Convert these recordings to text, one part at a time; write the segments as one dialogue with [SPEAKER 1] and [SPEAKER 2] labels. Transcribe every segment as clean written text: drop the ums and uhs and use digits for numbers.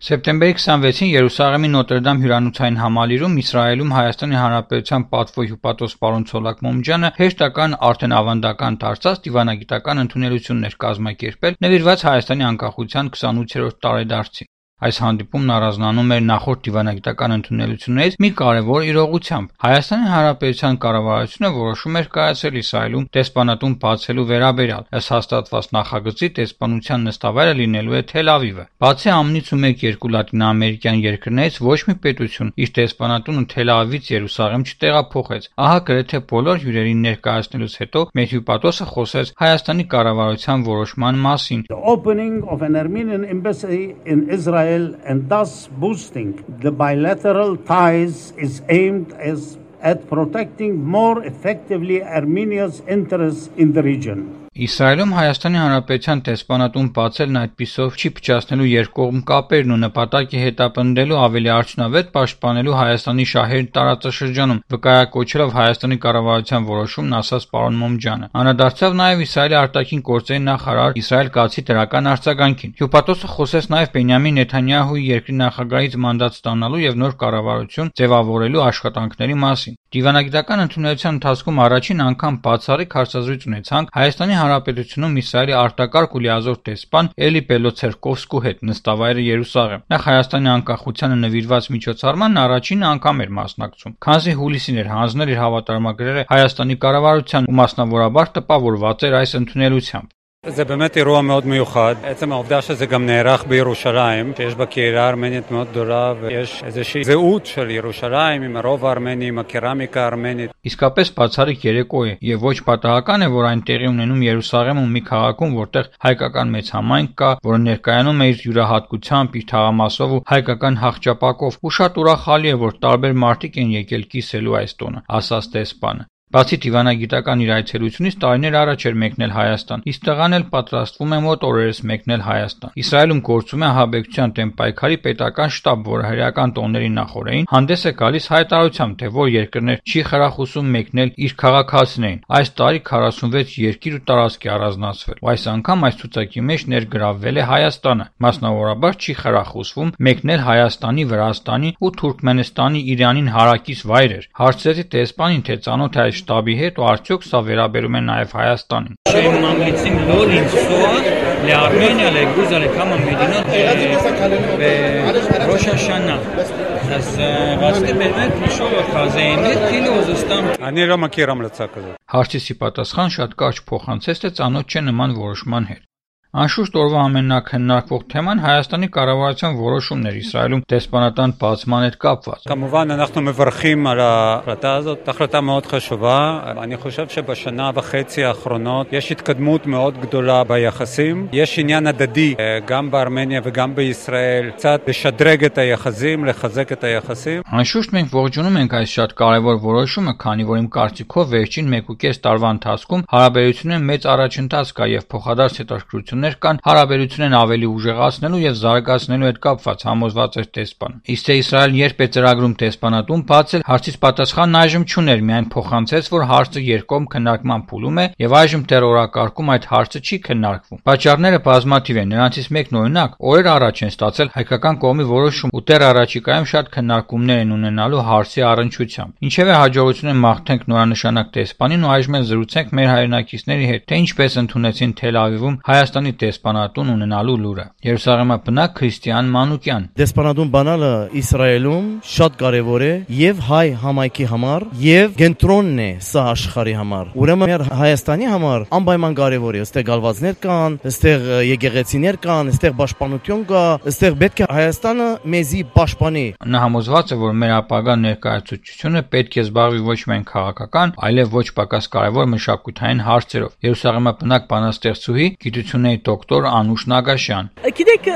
[SPEAKER 1] Սեպտեմբերի 26-ին Երուսաղեմի Նոտրդամ հյուրանոցային համալիրում Իսրայելում Հայաստանի Հանրապետության պատվո հյուպատոս պարոն Ցոլակ Մոմջյանը հեշտական արդեն ավանդական դարձած դիվանագիտական ընդունելություններ կազմակերպել նվիրված Հայաստանի անկախության 28-րդ տարեդարձին։ Այս հանդիպումն առանձնանում էր նախորդ դիվանագիտական ընդունելություններից մի կարևոր իրողությամբ։ Հայաստանի Հանրապետության կառավարությունը որոշում էր կայացրել Իսրայելում դեսպանատուն բացելու վերաբերյալ։ Ըստ հաստատված նախագծի դեսպանության նստավայրը լինելու է Թել Ավիվը։ Բացի ԱՄՆ-ից ու 1-2 լատինաամերիկյան երկրներից ոչ մի պետություն իր դեսպանատունը Թել Ավիվից Երուսաղեմ չտեղափոխեց։ Ահա գրեթե բոլոր հյուրերին ներկայացնելուց հետո մեր հյուպատոսը խոսեց Հայաստանի կառավարության որոշման մասին։
[SPEAKER 2] The opening of an Armenian embassy in Israel and thus boosting the bilateral ties is aimed at protecting more effectively Armenia's interests in the region.
[SPEAKER 1] Իսրայելում Հայաստանի Հանրապետության դեսպանատուն բացելն այդպիսով չի փչացնելու երկկողմ կապերն ու նպատակ է հետապնդելու ավելի արդյունավետ պաշտպանելու Հայաստանի շահերն տարածաշրջանում, վկայակոչելով Հայաստանի կառավարության որոշումն, ասաց պարոն Մոմջյանը։ Անդրադարձավ նաև Իսրայելի արտաքին գործերի նախարար Իսրայել-Կացի դրական արձագանքին։ Հյուպատոսը խոսեց նաև Բենյամին Նեթանյահուի երկրի նախագահից մանդատ ստանալու եւ նոր կառավարություն ձևավորելու աշխատանքների մասին։ Դիվանագիտական ընդունելության ընթացքում առաջին անգամ բացառիկ հարցազրույց ունեցանք Հայաստանի Հանրապետությունում Իսրայելի արտակարգ ու լիազոր դեսպան Էլի Պելոցերկովսկու հետ նստավայրը Երուսաղեմ։ Նա Հայաստանի անկախությանը նվիրված միջոցառմանն առաջին անգամ էր մասնակցում, քանզի հուլիսին էր հանձնել իր հավատարմագրերը Հայաստանի կառավարության ու մասնավորաբար տպավորված էր այս ընդունելությամբ։
[SPEAKER 3] זה באמת אירוע מאוד מיוחד. עצם העובדה שזה גם נערך בירושלים, שיש בה קהילה ארמנית מאוד גדולה ויש איזושהי זהות של ירושלים עם הרוב הארמני, עם הקרמיקה הארמנית.
[SPEAKER 1] Իսկապես բացառիկ երեկո է եւ ոչ պատահական է, որ այն տեղի ունենում Երուսաղեմում մի քաղաքում, որտեղ հայկական մեծ համայնք կա, որը ներկայանում է իր յուրահատկությամբ, իր թաղամասով ու հայկական հաղճապակով, ու շատ ուրախալի է, որ տարբեր մարդիկ են եկել կիսելու այս տոնը, ասաց դեսպանը։ Բացի դիվանագիտական իր այցելությունից տարիներ առաջ էր մեկնել Հայաստան, իսկ տղան էլ պատրաստվում է մոտ օրերս մեկնել Հայաստան։ Իսրայելում գործում է ահաբեկչության դեմ պայքարի պետական շտաբ, որը հրեական տոների նախօրեին հանդես է գալիս հայտարարությամբ, թե որ երկրներ չի խրախուսում մեկնել իր քաղաքացիներին։ Այս տարի 46 երկիր ու տարածք է առանձնացվել, ու այս անգամ այս ցուցակի մեջ ներգրավվել է Հայաստանը։ Մասնավորաբար չի խրախուսվում մեկնել Հայաստանի, Վրաստանի ու Թուրքմենստանի Իրանին հարակից վայրեր։ Հարցրեցի դեսպանին, թե ծանոթ է շտաբի հետ ու արդյոք սա վերաբերում է նաև Հայաստանին։
[SPEAKER 4] Mamlitzim lo lנסוע לארמניה, לגרוזיה, לכמה מדינות בראש השנה. אז רציתי באמת לשאול אותך, זה אמת כאילו זה סתם?
[SPEAKER 3] אני לא מכיר המלצה כזאת.
[SPEAKER 1] Հարցի պատասխան շատ կարճ փոխանցեց, թե ծանոթ չէ նման որոշման հետ։ Անշուշտ օրվա ամենաքննարկվող թեման Հայաստանի կառավարության որոշումն էր Իսրայելում դեսպանատան բացման հետ կապված։
[SPEAKER 3] כמובן אנחנו מברכים על ההחלטה הזאת, החלטה מאוד חשובה. אני חושב שבשנה וחצי האחרונות יש התקדמות מאוד גדולה ביחסים. יש עניין הדדי גם בארמניה וגם בישראל, קצת לשדרג את היחסים, לחזק את היחסים.
[SPEAKER 1] Անշուշտ մենք ողջունում ենք այս շատ կարևոր որոշումը, քանի որ իմ կարծիքով վերջին 1.5 տարվա ընթացքում հարաբերությունները մեծ առաջընթաց կա եւ փոխադարձ հետաքրքրություն կան հարաբերությունն ավելի ուժեղացնելու եւ զարգացնելու հետ կապված, համոզված էր դեսպանը։ Իսկ թե Իսրայելն երբ է ծրագրում դեսպանատուն բացել, հարցից պատասխանն այժմ չուներ, միայն փոխանցեց, որ հարցը երկկողմ քննարկման փուլում է եւ այժմ դեռ օրակարգում այդ հարցը չի քննարկվում։ Պատճառները բազմաթիվ են, նրանցից մեկն օրինակ օրեր առաջ են ստացել հայկական կողմի որոշում ու դեռ առաջիկայում շատ քննարկումներ են ունենալու հարցի առնչությամբ։ Ինչևէ հաջողություն են մաղթենք նորանշանակ դեսպանին ու այժմ էլ զրուցենք մեր հայրենակիցների հետ, թե ինչպես ընդունեցին Թել Ավիվում Հայաստանի դեսպանատուն ունենալու լուրը։ Երուսաղեմի բնակ Քրիստիան Մանուկյան։
[SPEAKER 5] Դեսպանատուն բանալը Իսրայելում շատ կարևոր է եւ հայ համայնքի համար եւ կենտրոնն է սա աշխարհի համար։ Ուրեմն մեր Հայաստանի համար անպայման կարևոր է, այստեղ գալվածներ կան, այստեղ եկեղեցիներ կան, այստեղ պաշտպանություն կա, այստեղ պետք է Հայաստանը մեզի պաշտպանի։
[SPEAKER 1] Նա համոզված է, որ մեր ապագա ներկայացուցչությունը պետք է զբաղվի ոչ միայն քաղաքական, այլև ոչ պակաս կարևոր մշակութային հարցերով։ Երուսաղեմի բնակ բանաստեղծուհի գիտությունների դոկտոր Անուշ Նագաշյան։
[SPEAKER 6] Գիտեք,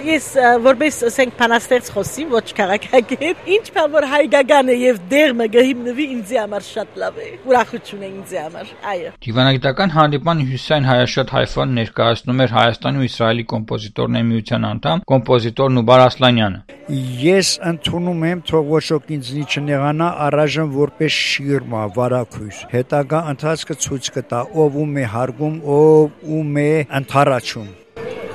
[SPEAKER 6] ես որպես ասենք բանաստեղծ խոսիմ, ոչ քաղաքագետ, ինչ բան որ հայկական է եւ դերմը գհիմնվի ինձ համար շատ լավ է։ Ուրախություն է ինձ համար։ Այո։
[SPEAKER 1] Դիվանագիտական հանդիպման հյուսիսային Հայաշատ Հայֆան ներկայացնում էր Հայաստանի ու Իսրայելի կոմպոզիտորների միության անդամ կոմպոզիտոր Նուբար Ասլանյանը։
[SPEAKER 7] Ես ընդունում եմ, թող ոչ ոք ինձնի չնեղանա, առայժմ որպես շիրմա, վարակույս։ Հետագա ընթացքը ցույց կտա, ով ում է հարգում, ով ում է ընդառաջում։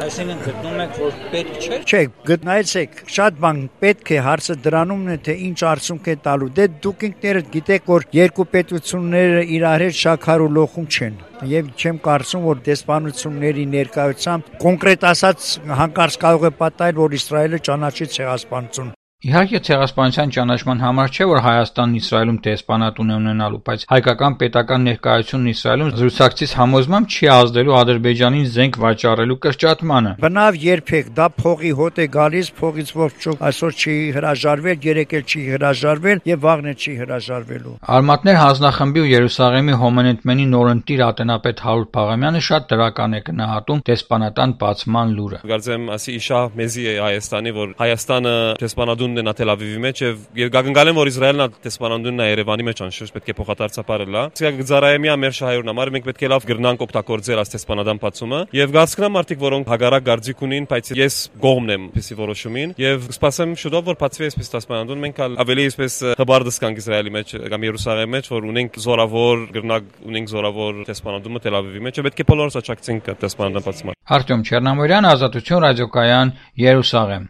[SPEAKER 4] Այսինքն գտնում եք, որ պետք չէ։
[SPEAKER 7] Չէ, գտնայեցեք, շատ բան պետք է, հարցը դրանումն է, թե ինչ արդյունք է տալու։ Դե դուք ինքներդ գիտեք, որ երկու պետությունները իրար հետ շաքար ու լոխում չեն։ Եվ չեմ կարծում, որ դեսպանությունների ներկայությամբ կոնկրետ ասած հանկարծ կարող է պատահել, որ Իսրայելը ճանաչի ցեղասպանություն։
[SPEAKER 1] Իհարկե ցեղասպանության ճանաչման համար չէ, որ Հայաստանն Իսրայելում դեսպանատուն է ունենալու, բայց հայկական պետական ներկայությունն Իսրայելում զրուցակցից համոզմամբ չի ազդելու Ադրբեջանին զենք վաճառելու կրճատմանը։
[SPEAKER 7] Բնավ երբեք դա փողի հոտ է գալիս, փողից ոչ այսօր չի հրաժարվել, երեք էլ չի հրաժարվել եւ վաղն չի հրաժարվելու։
[SPEAKER 1] Արմատներ հանձնախմբի ու Երուսաղեմի հոմենետմենի նորընտիր ատենապետ Հարութ Փաղամյանը շատ դրական է գնահատում դեսպանատան բացման լուրը։
[SPEAKER 8] Գարձեմ ասի իշա մեզի է Հայաստանի, որ Հայաստանը դեսպանատուն Նա Թել Ավիվի մեջ եւ գագնգալեն որ Իսրայելն է դեսպանատունն է Երևանի մեջ անշուշտ պետք է փոխադարձապարել լա։ Իսկ գծարայեմի ամեր շահերն համար մենք պետք է լավ գրնանք օգտագործել այս դեսպանադան բացումը եւ գարցկնամ արդիկ որոնք հագարակ գարձիկ ունին, բայց ես գողմն եմ պիսի որոշումին եւ սպասեմ շուտով որ բացվի այսպես դեսպանատուն մենք ավելի այսպես հբարդս կանք Իսրայելի մեջ կամ Երուսաղեմի մեջ որ ունենք զորավոր գրնակ ունենք զորավոր դեսպանատունը Թել Ավիվի մեջ պետք է բոլորս աճակցենք դեսպանադան բացման։
[SPEAKER 1] Արտյոմ Չեռնամորյան, Ազատություն ռադիոկայան, Երուսաղեմ։